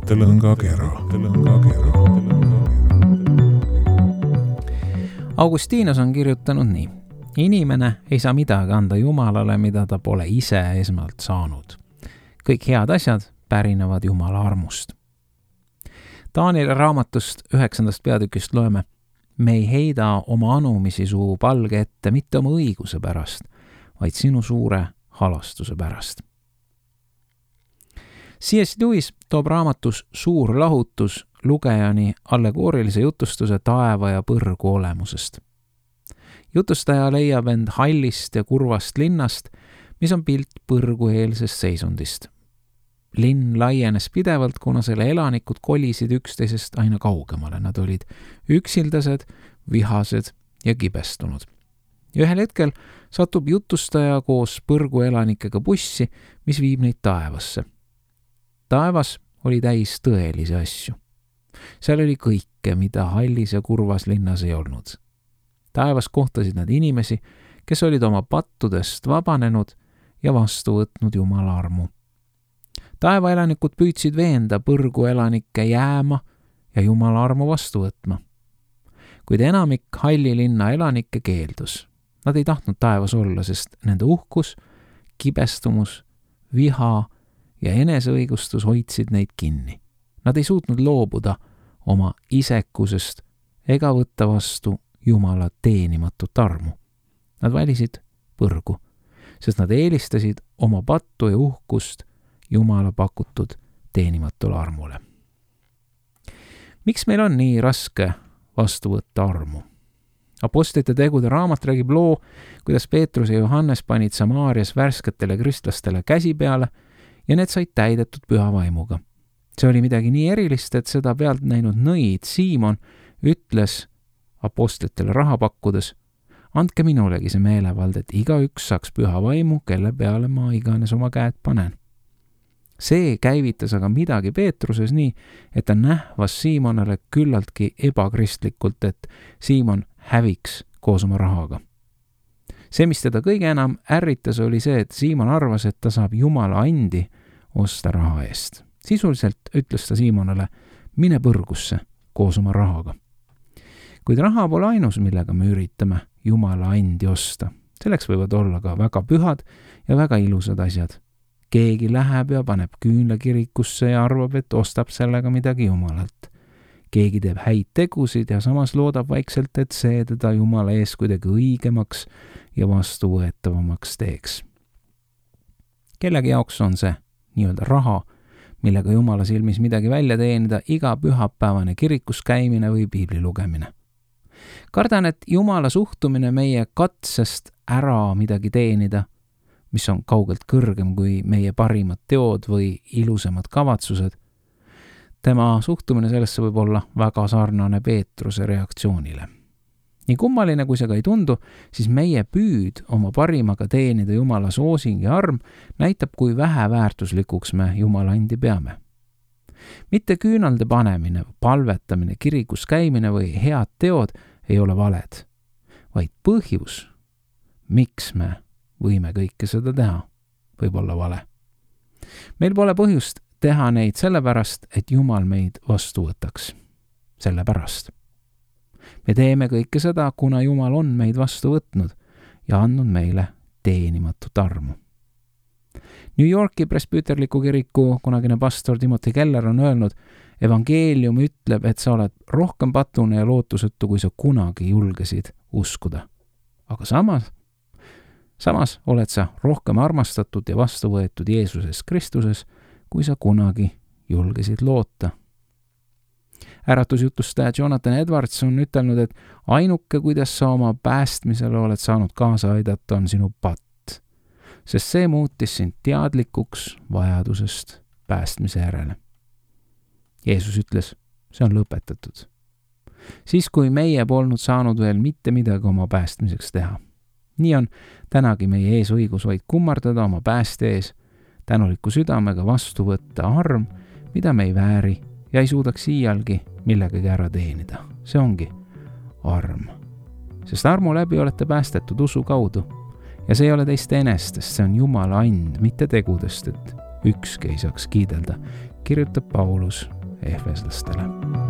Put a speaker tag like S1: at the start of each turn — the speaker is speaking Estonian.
S1: mõttelõngakera.
S2: Augustinus on kirjutanud nii. Inimene ei saa midagi anda Jumalale, mida ta pole ise esmalt saanud. Kõik head asjad pärinevad Jumala armust. Danieli raamatust 9. peatükist loeme: me ei heida oma anumisi su palge ette mitte oma õiguse pärast, vaid sinu suure halastuse pärast. C.S. Lewis toob raamatus Suur lahutus lugejani allegoorilise jutustuse taeva ja põrgu olemusest. Jutustaja leiab end hallist ja kurvast linnast, mis on pilt põrgueelsest seisundist. Linn laienes pidevalt, kuna selle elanikud kolisid üksteisest aina kaugemale. Nad olid üksildased, vihased ja kibestunud. Ja ühel hetkel satub jutustaja koos põrguelanikega bussi, mis viib neid taevasse. Taevas oli täis tõelisi asju. Seal oli kõike, mida hallis ja kurvas linnas ei olnud. Taevas kohtasid nad inimesi, kes olid oma pattudest vabanenud ja vastu võtnud Jumala armu. Taevaelanikud püüdsid veenda põrguelanikke jääma ja Jumala armu vastu võtma. Kuid enamik halli linna elanikke keeldus. Nad ei tahtnud taevas olla, sest nende uhkus, kibestumus, viha ja eneseõigustus hoidsid neid kinni. Nad ei suutnud loobuda oma isekusest ega võtta vastu Jumala teenimatut armu. Nad valisid põrgu, sest nad eelistasid oma pattu ja uhkust Jumala pakutud teenimatule armule. Miks meil on nii raske vastu võtta armu? Apostlite tegude raamat räägib loo, kuidas Peetrus ja Johannes panid Samaarias värsketele kristlastele käsi peale ja need said täidetud püha vaimuga. See oli midagi nii erilist, et seda pealt näinud nõid Siimon ütles apostlitele raha pakkudes: andke minulegi see meelevald, et igaüks saaks püha vaimu, kelle peale ma iganes oma käed panen. See käivitas aga midagi Peetruses nii, et ta nähvas Siimonale küllaltki ebakristlikult, et Siimon häviks koos oma rahaga. See, mis teda kõige enam ärritas, oli see, et Siimon arvas, et ta saab Jumala andi osta raha eest. Sisuliselt ütles ta Siimonale: mine põrgusse koos oma rahaga. Kuid raha pole ainus, millega me üritame Jumala andi osta. Selleks võivad olla ka väga pühad ja väga ilusad asjad. Keegi läheb ja paneb küünla kirikusse ja arvab, et ostab sellega midagi Jumalalt. Keegi teeb häid tegusid ja samas loodab vaikselt, et see teda Jumala ees kuidagi õigemaks ja vastuvõetavamaks teeks. Kellegi jaoks on see nii-öelda raha, millega Jumala silmis midagi välja teenida, iga pühapäevane kirikus käimine või piibli lugemine. Kardan, et Jumala suhtumine meie katsest ära midagi teenida, mis on kaugelt kõrgem kui meie parimad teod või ilusamad kavatsused, tema suhtumine sellesse võib olla väga sarnane Peetruse reaktsioonile. Nii kummaline, kui see ka ei tundu, siis meie püüd oma parimaga teenida Jumala soosing ja arm näitab, kui vähe väärtuslikuks me Jumala andi peame. Mitte küünalde panemine, palvetamine, kirikus käimine või head teod ei ole valed, vaid põhjus, miks me võime kõike seda teha, võib olla vale. Meil pole põhjust teha neid sellepärast, et Jumal meid vastu võtaks. Sellepärast. Me teeme kõike seda, kuna Jumal on meid vastu võtnud ja andnud meile teenimatut armu. New Yorki presbüterliku kiriku kunagine pastor Timothy Keller on öelnud: evangeelium ütleb, et sa oled rohkem patune ja lootusetu, kui sa kunagi julgesid uskuda. Aga samas oled sa rohkem armastatud ja vastu võetud Jeesuses Kristuses, kui sa kunagi julgesid loota. Äratusjutustaja Jonathan Edwards on ütelnud, et ainuke, kuidas sa oma päästmisele oled saanud kaasa aidata, on sinu patt, sest see muutis sind teadlikuks vajadusest päästmise järele. Jeesus ütles, see on lõpetatud. Siis, kui meie polnud saanud veel mitte midagi oma päästmiseks teha. Nii on tänagi meie ees õigus vaid kummardada oma pääste ees, tänuliku südamega vastu võtta arm, mida me ei vääri ja ei suudaks iialgi millegagi ära teenida. See ongi arm. Sest armu läbi olete päästetud usu kaudu ja see ei ole teist enestest, see on Jumala and, mitte tegudest, et ükski ei saaks kiidelda, kirjutab Paulus efeslastele.